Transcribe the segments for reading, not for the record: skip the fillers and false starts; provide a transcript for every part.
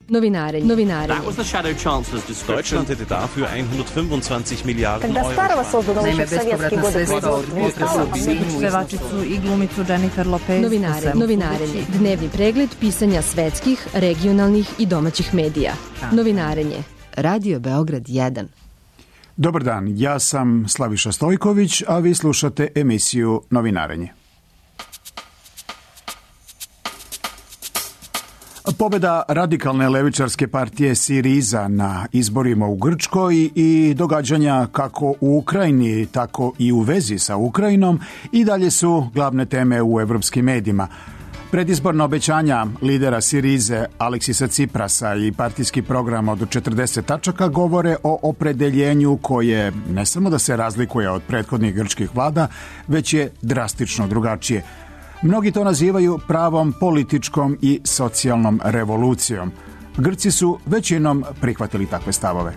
Novinarenje. That was the Shadow Chancellor's description. Deutschland hätte dafür 125 Milijarden Когда Старого создано Naime, еще в советские годы pevačicu i glumicu Jennifer Lopez. Novinarenje. Dnevni pregled pisanja svetskih, regionalnih i domaćih medija. Novinarenje. Radio Beograd 1. Dobar dan, ja sam Slaviša Stojković, a vi slušate emisiju Novinarenje. Pobjeda radikalne levičarske partije Siriza na izborima u Grčkoj i događanja kako u Ukrajini, tako i u vezi sa Ukrajinom i dalje su glavne teme u evropskim medijima. Predizborna obećanja lidera Sirize Aleksisa Ciprasa i partijski program od 40 tačaka govore o opredeljenju koje ne samo da se razlikuje od prethodnih grčkih vlada, već je drastično drugačije. Mnogi to nazivaju pravom političkom i socijalnom revolucijom. Grci su većinom prihvatili takve stavove.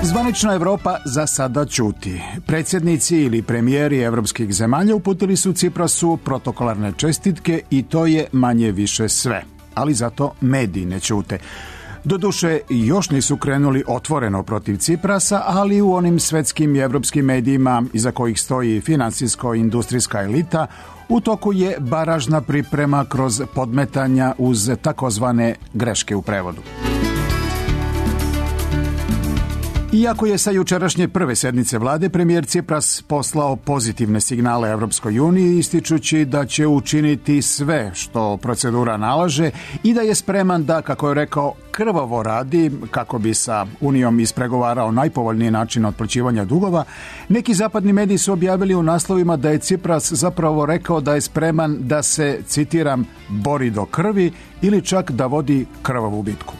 Zvanična Evropa za sada ćuti. Predsjednici ili premijeri evropskih zemalja uputili su Ciprasu protokolarne čestitke i to je manje više sve. Ali zato mediji ne ćute. Doduše, još nisu krenuli otvoreno protiv Ciprasa, ali u onim svetskim i evropskim medijima iza kojih stoji finansijsko-industrijska elita, u toku je baražna priprema kroz podmetanja uz takozvane greške u prevodu. Iako je sa jučerašnje prve sednice vlade premijer Cipras poslao pozitivne signale Evropskoj uniji, ističući da će učiniti sve što procedura nalaže i da je spreman da, kako je rekao, krvavo radi kako bi sa Unijom ispregovarao najpovoljniji način otplaćivanja dugova, neki zapadni mediji su objavili u naslovima da je Cipras zapravo rekao da je spreman da se, citiram, bori do krvi ili čak da vodi krvavu bitku.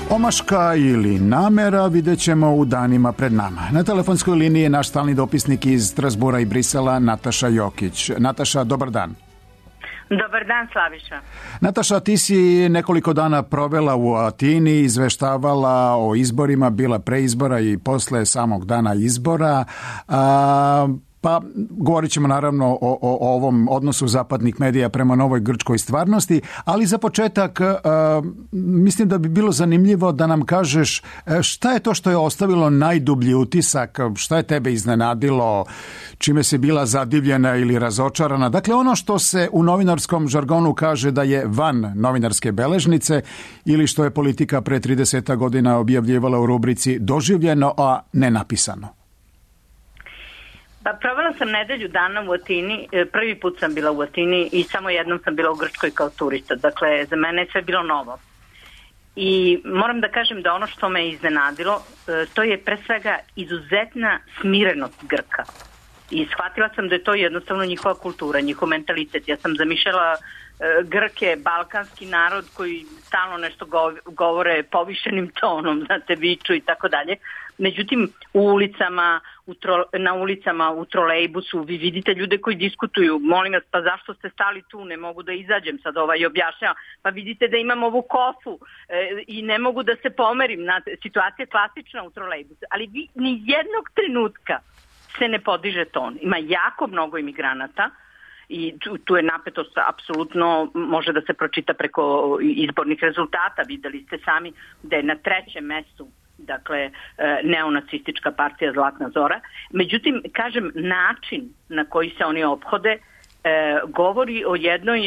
Omaška ili namera vidjet ćemo u danima pred nama. Na telefonskoj liniji je naš stalni dopisnik iz Strasbura i Brisela, Nataša Jokić. Nataša, dobar dan. Dobar dan, Slaviša. Nataša, ti si nekoliko dana provela u Atini, izveštavala o izborima, bila pre izbora i posle samog dana izbora. Pa govorit ćemo naravno o ovom odnosu zapadnih medija prema novoj grčkoj stvarnosti, ali za početak mislim da bi bilo zanimljivo da nam kažeš šta je to što je ostavilo najdublji utisak, šta je tebe iznenadilo, čime si bila zadivljena ili razočarana. Dakle, ono što se u novinarskom žargonu kaže da je van novinarske beležnice ili što je politika pre 30 godina objavljivala u rubrici doživljeno, a ne napisano. Pa provela sam nedelju dana u Atini, prvi put sam bila u Atini i samo jednom sam bila u Grčkoj kao turista, dakle za mene je sve bilo novo. I moram da kažem da ono što me iznenadilo, to je pre svega izuzetna smirenost Grka. I shvatila sam da je to jednostavno njihova kultura, njihov mentalitet. Ja sam zamišljala Grke, balkanski narod koji stalno nešto govore povišenim tonom, znate, viču i tako dalje. Međutim, na ulicama, u trolejbusu, vi vidite ljude koji diskutuju. Molim vas, pa zašto ste stali tu? Ne mogu da izađem, sad objašnjava. Pa vidite da imam ovu kofu i ne mogu da se pomerim. Situacija je klasična u trolejbusu. Ali ni jednog trenutka se ne podiže ton. Ima jako mnogo imigranata i tu je napetost apsolutno, može da se pročita preko izbornih rezultata. Videli ste sami da je na 3. mestu, dakle, neonacistička partija Zlatna Zora. Međutim, kažem, način na koji se oni ophode govori o jednoj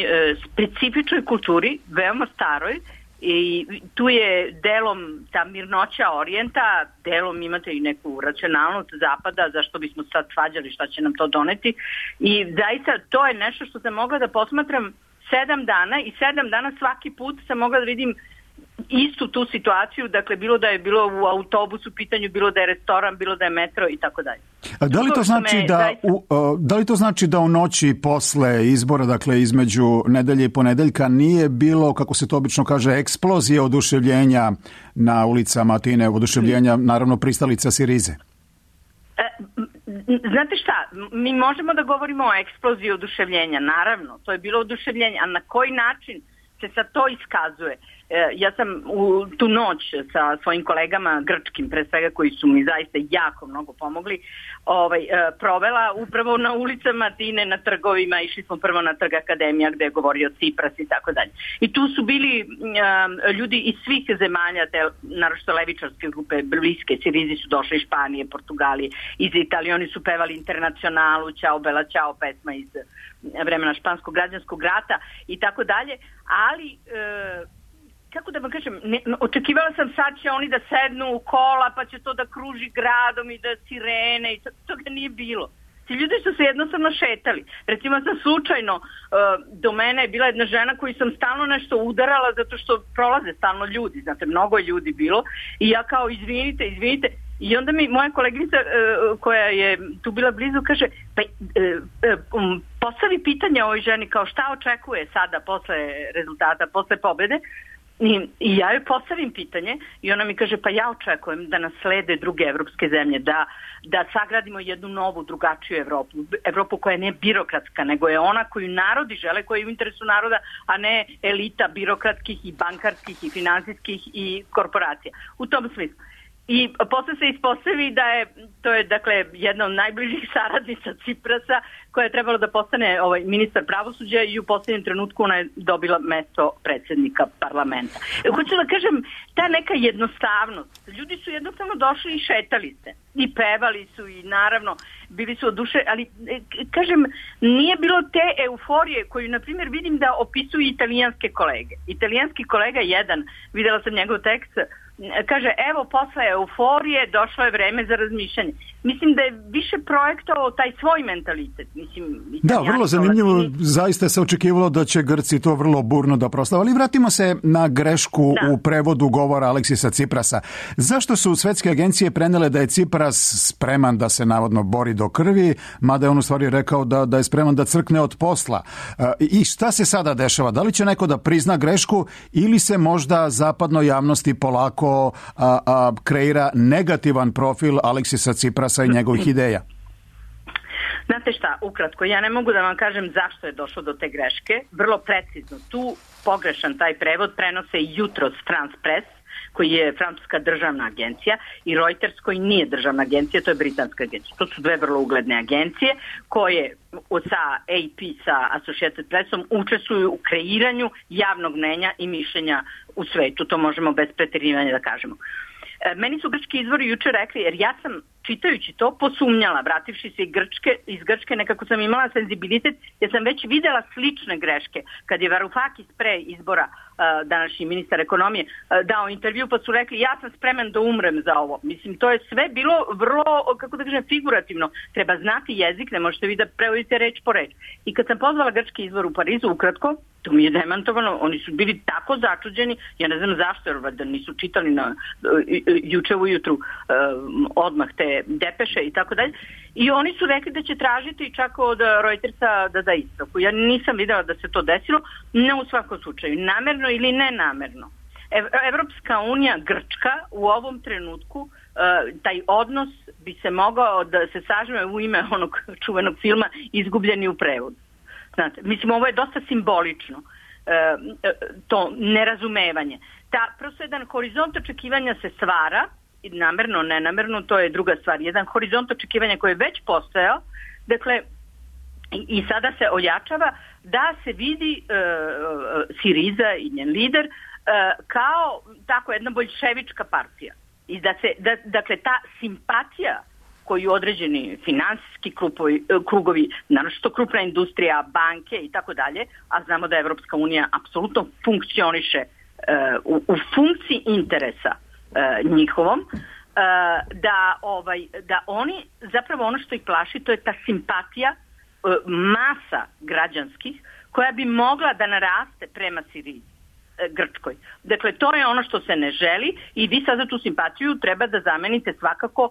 specifičnoj kulturi, veoma staroj, i tu je delom ta mirnoća orijenta, delom imate i neku racionalnost zapada, zašto bismo sad svađali šta će nam to doneti. I zaista to je nešto što sam mogla da posmatram 7 dana i 7 dana svaki put sam mogla da vidim istu tu situaciju, dakle bilo da je bilo u autobusu pitanju, bilo da je restoran, bilo da je metro i tako dalje. Da li to znači da u noći posle izbora, dakle između nedelje i ponedeljka, nije bilo, kako se to obično kaže, eksplozije oduševljenja na ulicama Atine, oduševljenja naravno pristalica Sirize? Znate šta, mi možemo da govorimo o eksploziji oduševljenja, naravno, to je bilo oduševljenje, a na koji način se sad to iskazuje. Ja sam u tu noć sa svojim kolegama grčkim, pre svega koji su mi zaista jako mnogo pomogli, provela upravo na ulicama Atine, na trgovima. Išli smo prvo na trg Akademija gde je govorio Cipras i tako dalje. I tu su bili ljudi iz svih zemalja, naročito levičarske grupe, bliske, Sirizi su došli iz Španije, Portugalije, iz Italije, oni su pevali Internacionalu, Ćao Bela Ćao, pesma iz vremena španskog građanskog rata i tako dalje, ali kako da vam kažem, očekivala sam sad će oni da sednu u kola pa će to da kruži gradom i da sirene i toga nije bilo. Ti ljudi su se jednostavno šetali. Recimo sam slučajno, do mene je bila jedna žena koju sam stalno nešto udarala zato što prolaze stalno ljudi, znate, mnogo je ljudi bilo i ja kao izvinite i onda mi moja koleginica koja je tu bila blizu kaže postavi pitanje ovoj ženi kao šta očekuje sada posle rezultata, posle pobede. I ja joj postavim pitanje i ona mi kaže pa ja očekujem da nas slede druge evropske zemlje, da sagradimo jednu novu, drugačiju Evropu. Evropu koja nije birokratska, nego je ona koju narodi žele, koja je u interesu naroda, a ne elita birokratskih i bankarskih i finansijskih i korporacija. U tom smislu. I posle se ispostavi da to je dakle jedna od najbližih saradnica Ciprasa koja je trebalo da postane ministar pravosuđa i u posljednjem trenutku ona je dobila mesto predsjednika parlamenta. Hoću da kažem, ta neka jednostavnost. Ljudi su jednostavno došli i šetali se. I pevali su i naravno bili su oduševljeni, ali kažem, nije bilo te euforije koju, na primjer, vidim da opisuju italijanske kolege. Italijanski kolega jedan, videla sam njegov tekst, kaže, evo, posle euforije došlo je vreme za razmišljanje. Mislim da je više projektovao taj svoj mentalitet. Da, vrlo zanimljivo. Zaista se očekivalo da će Grci to vrlo burno da proslave. Ali vratimo se na grešku u prevodu govora Aleksisa Ciprasa. Zašto su svetske agencije prenele da je Cipras spreman da se navodno bori do krvi, mada je on u stvari rekao da je spreman da crkne od posla? I šta se sada dešava? Da li će neko da prizna grešku ili se možda zapadnoj javnosti polako kreira negativan profil Aleksisa Ciprasa i njegovih ideja? Znate šta, ukratko, ja ne mogu da vam kažem zašto je došlo do te greške. Vrlo precizno, tu pogrešan taj prevod prenose jutros France Press, koji je francuska državna agencija, i Reuters, koji nije državna agencija, to je britanska agencija. To su dve vrlo ugledne agencije koje sa AP, sa Associated Pressom, učestvuju u kreiranju javnog mnenja i mišljenja u svetu. To možemo bez preterivanja da kažemo. Meni su grčki izvori juče rekli, jer ja sam čitajući to posumnjala, vrativši se iz Grčke, nekako sam imala senzibilitet, jer sam već videla slične greške. Kad je Varoufakis pre izbora, današnji ministar ekonomije, dao intervju, pa su rekli ja sam spreman da umrem za ovo. Mislim, to je sve bilo vrlo, kako da kažem, figurativno. Treba znati jezik, ne možete vi da prevodite reč po reč. I kad sam pozvala grčki izvor u Parizu, ukratko, to mi je demantovano, oni su bili tako začuđeni, ja ne znam zašto, jer valjda nisu čitali juče ujutru odmah te depeše i tako dalje. I oni su rekli da će tražiti čak od Reutersa da da ispravku. Ja nisam videla da se to desilo, ne u svakom slučaju, namerno ili nenamerno. Evropska unija, Grčka, u ovom trenutku taj odnos bi se mogao da se sažme u ime onog čuvenog filma Izgubljeni u prevodu. Znate, mislim, ovo je dosta simbolično, to nerazumevanje. Prosto jedan horizont očekivanja se stvara, namerno, nenamerno, to je druga stvar. Jedan horizont očekivanja koji je već postojao, dakle, i sada se ojačava da se vidi Siriza i njen lider kao tako jedna boljševička partija. I dakle, ta simpatija koju određeni finansijski krugovi, naročito krupna industrija, banke i tako dalje, a znamo da Evropska unija apsolutno funkcioniše u funkciji interesa njihovom, da oni, zapravo ono što ih plaši, to je ta simpatija masa građanskih koja bi mogla da naraste prema Siriji, Grčkoj. Dakle, to je ono što se ne želi i vi sad za tu simpatiju treba da zamenite svakako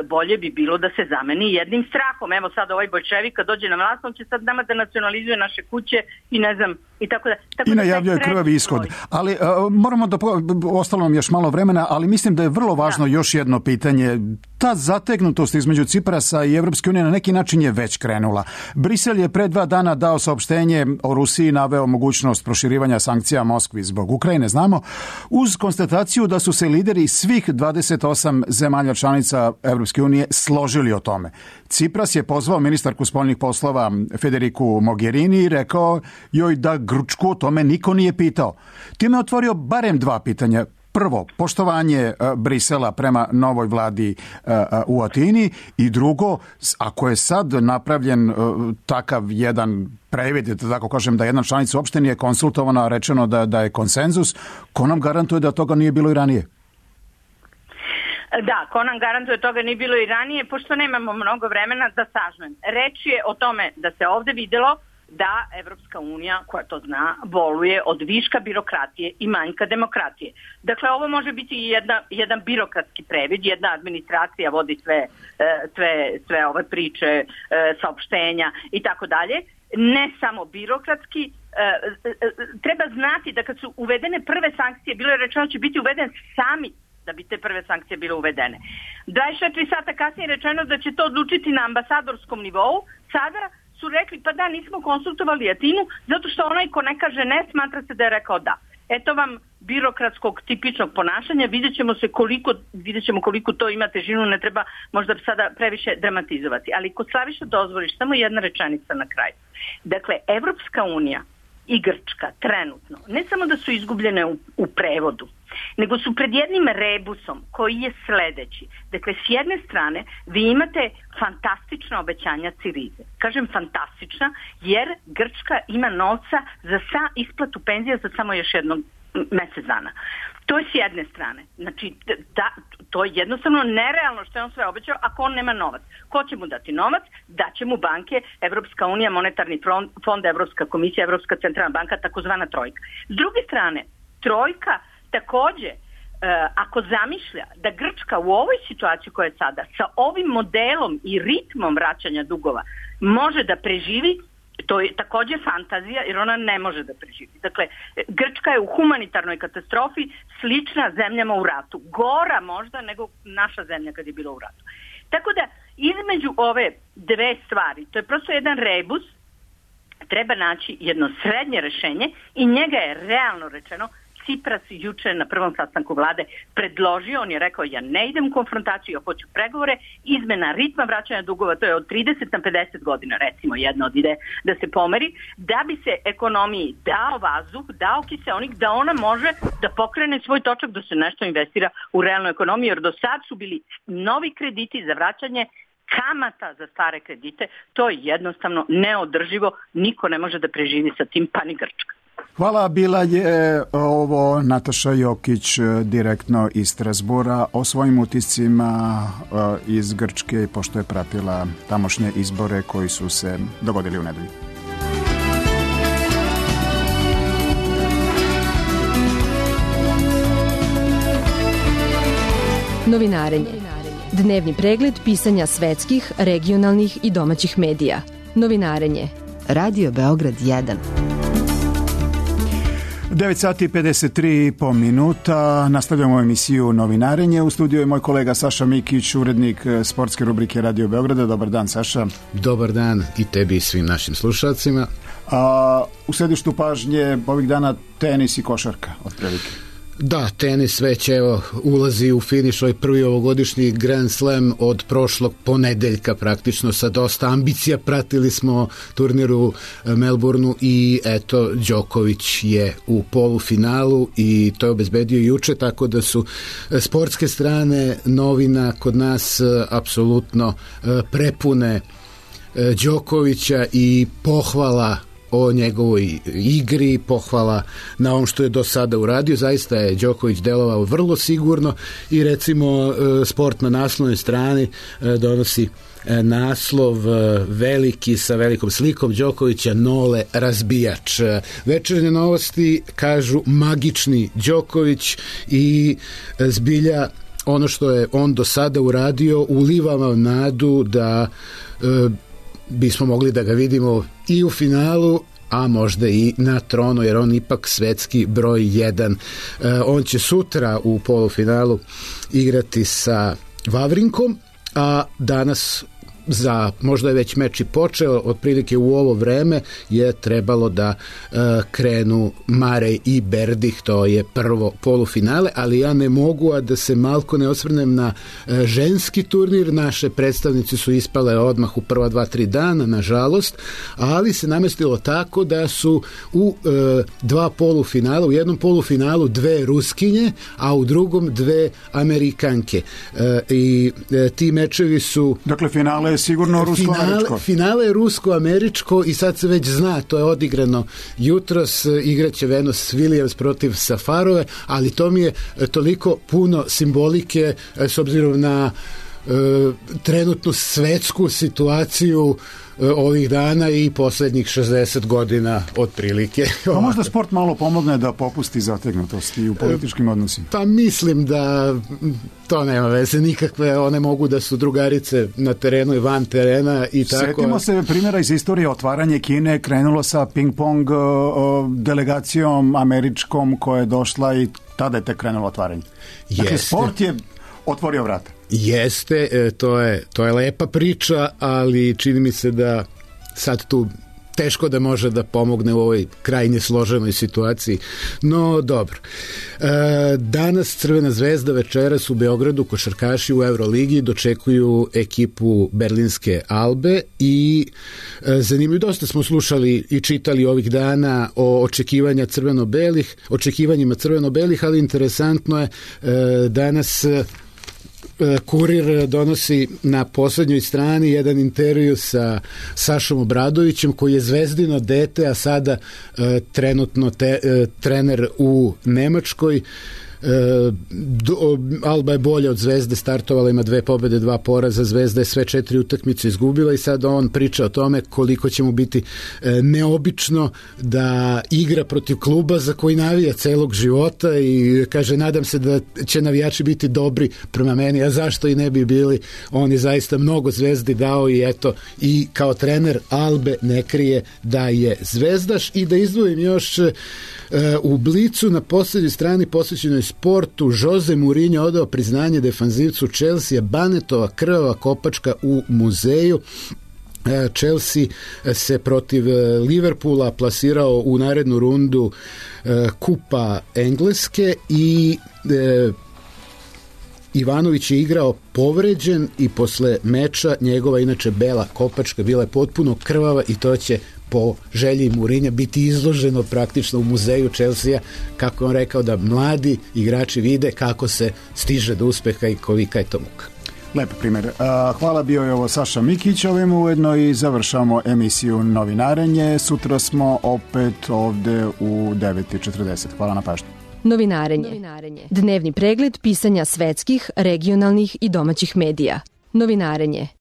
bolje bi bilo da se zameni jednim strahom. Evo sad ovaj boljševik kad dođe na vlast, on će sad nama da nacionalizuje naše kuće i ne znam, i tako da. I najavljuje krvavi ishod. Ali moramo da, ostalo nam još malo vremena, ali mislim da je vrlo važno još jedno pitanje. Ta zategnutost između Ciprasa i Evropske unije na neki način je već krenula. Brisel je pre 2 dana dao saopštenje o Rusiji, naveo mogućnost proširivanja sankcija Moskvi zbog Ukrajine, znamo, uz konstataciju da su se lideri svih 28 zemalja članica Evropske unije složili o tome. Cipras je pozvao ministarku spoljnih poslova Federiku Mogherini i rekao joj da Grčku o tome niko nije pitao. Time je otvorio barem 2 pitanja. Prvo, poštovanje Brisela prema novoj vladi u Atini i drugo, ako je sad napravljen takav jedan previd, da tako kažem, da jedna članica uopšte nije konsultovana, rečeno da je konsenzus, ko nam garantuje da toga nije bilo i ranije? Da, ko nam garantuje toga nije bilo i ranije, pošto nemamo mnogo vremena da sažmem. Reč je o tome da se ovde videlo da Evropska unija, koja to zna, boluje od viška birokratije i manjka demokratije. Dakle, ovo može biti jedan birokratski previd, jedna administracija vodi sve ove priče, saopštenja i tako dalje. Ne samo birokratski, treba znati da kad su uvedene prve sankcije, bilo je rečeno da će biti uveden samit da bi te prve sankcije bile uvedene. 24 sata kasnije je rečeno da će to odlučiti na ambasadorskom nivou. Sada su rekli pa da, nismo konsultovali Atinu zato što onaj ko ne kaže ne smatra se da je rekao da. Eto vam birokratskog tipičnog ponašanja, vidjet ćemo koliko to ima težinu, ne treba možda sada previše dramatizovati. Ali kod Slaviša dozvoliš samo jedna rečenica na kraju. Dakle, Evropska unija i Grčka trenutno ne samo da su izgubljene u prevodu, nego su pred jednim rebusom koji je sledeći. Dakle, s jedne strane vi imate fantastična obećanja Sirize. Kažem fantastična jer Grčka ima novca za isplatu penzija za samo još jednog mesec dana. To je s jedne strane. Znači, to je jednostavno nerealno što je on sve obećao ako on nema novac. Ko će mu dati novac? Daće mu banke, Evropska unija, Monetarni fond, Evropska komisija, Evropska centralna banka, takozvana trojka. S druge strane, trojka takođe, ako zamišlja da Grčka u ovoj situaciji koja je sada, sa ovim modelom i ritmom vraćanja dugova, može da preživi, to je takođe fantazija jer ona ne može da preživi. Dakle, Grčka je u humanitarnoj katastrofi slična zemljama u ratu. Gora možda nego naša zemlja kad je bila u ratu. Tako da, između ove dve stvari, to je prosto jedan rebus, treba naći jedno srednje rešenje i njega je realno rečeno Cipras juče na prvom sastanku vlade predložio, on je rekao ja ne idem u konfrontaciju, ja hoću pregovore, izmena ritma vraćanja dugova, to je od 30 na 50 godina, recimo jedna od ideje da se pomeri, da bi se ekonomiji dao vazduh, dao kiseonik, da ona može da pokrene svoj točak, da se nešto investira u realnu ekonomiju, jer do sad su bili novi krediti za vraćanje kamata za stare kredite, to je jednostavno neodrživo, niko ne može da preživi sa tim, pa ni Grčka. Hvala, bila je ovo Nataša Jokić direktno iz Strasbura o svojim utiscima iz Grčke, pošto je pratila tamošnje izbore koji su se dogodili u nedelju. Novinarenje. Dnevni pregled pisanja svetskih, regionalnih i domaćih medija. Novinarenje. Radio Beograd 1. 9 sati 53 minuta. Nastavljamo emisiju Novinarenje. U studiju je moj kolega Saša Mikić, urednik sportske rubrike Radio Beograda. Dobar dan, Saša. Dobar dan i tebi i svim našim slušalcima. U središtu pažnje ovih dana tenis i košarka, otprilike. Da, tenis već ulazi u finiš, ovaj prvi ovogodišnji Grand Slam od prošlog ponedeljka praktično sa dosta ambicija. Pratili smo turnir u Melbourneu i eto, Đoković je u polufinalu i to je obezbedio juče, tako da su sportske strane novina kod nas apsolutno prepune Đokovića i pohvala o njegovoj igri, pohvala na ovom što je do sada uradio. Zaista je Đoković delovao vrlo sigurno i recimo Sport na naslovnoj strani donosi naslov veliki sa velikom slikom Đokovića, Nole razbijač. Večernje novosti kažu magični Đoković i zbilja ono što je on do sada uradio uliva vam nadu da bismo mogli da ga vidimo i u finalu, a možda i na tronu, jer on ipak svetski broj 1. On će sutra u polufinalu igrati sa Vavrinkom, a danas možda je već meč i počeo, otprilike u ovo vreme je trebalo da krenu Marej i Berdih, to je prvo polufinale, ali ja ne mogu a da se malko ne osvrnem na ženski turnir. Naše predstavnici su ispale odmah u prva 2-3 dana, nažalost, ali se namestilo tako da su u dva polufinala, u jednom polufinalu 2 Ruskinje, a u drugom 2 Amerikanke. I ti mečevi su... Dakle, finale je sigurno rusko-američko. Finale je rusko-američko i sad se već zna, to je odigrano jutros, igraće Venus Williams protiv Safarove, ali to mi je toliko puno simbolike s obzirom na trenutnu svetsku situaciju ovih dana i poslednjih 60 godina otprilike. Pa možda sport malo pomogne da popusti zategnutosti u političkim odnosima. Pa mislim da to nema veze nikakve, one mogu da su drugarice na terenu i van terena i tako. Sjetimo se primjera iz istorije, otvaranje Kine krenulo sa ping-pong delegacijom američkom koja je došla i tada je tek krenulo otvaranje. Dakle, sport je otvorio vrata. Jeste, to je lepa priča, ali čini mi se da sad tu teško da može da pomogne u ovoj krajnje složenoj situaciji. No, dobro. Danas Crvena zvezda, večeras u Beogradu košarkaši u Euroligi dočekuju ekipu berlinske Albe i zanimljivo, dosta smo slušali i čitali ovih dana o očekivanjima crveno-belih, ali interesantno je danas Kurir donosi na poslednjoj strani jedan intervju sa Sašom Obradovićem, koji je zvezdino dete, a sada trenutno trener u Nemačkoj. Alba je bolja od Zvezde, startovala, ima 2 pobede, 2 poraza, Zvezda je sve 4 utakmice izgubila i sad on priča o tome koliko će mu biti neobično da igra protiv kluba za koji navija celog života i kaže, nadam se da će navijači biti dobri prema meni, a zašto i ne bi bili. On je zaista mnogo Zvezdi dao i eto, i kao trener Albe ne krije da je zvezdaš. I da izdvojim još u Blicu na poslednjoj strani posvećenoj sportu, Jose Mourinho odao priznanje defanzivcu Chelsea, Banetova krvava kopačka u muzeju. Chelsea se protiv Liverpoola plasirao u narednu rundu Kupa Engleske i Ivanović je igrao povređen i posle meča njegova inače bela kopačka bila je potpuno krvava i to će po želji Mourinha biti izloženo praktično u muzeju Chelsea, kako on rekao, da mladi igrači vide kako se stiže do uspeha i kolika je to muka. Lepo primjer. Hvala, bio je ovo Saša Mikić, ovim ujedno i završamo emisiju Novinarenje. Sutra smo opet ovde u 9:40. Hvala na pažnju. Novinarenje. Dnevni pregled pisanja svetskih, regionalnih i domaćih medija. Novinarenje.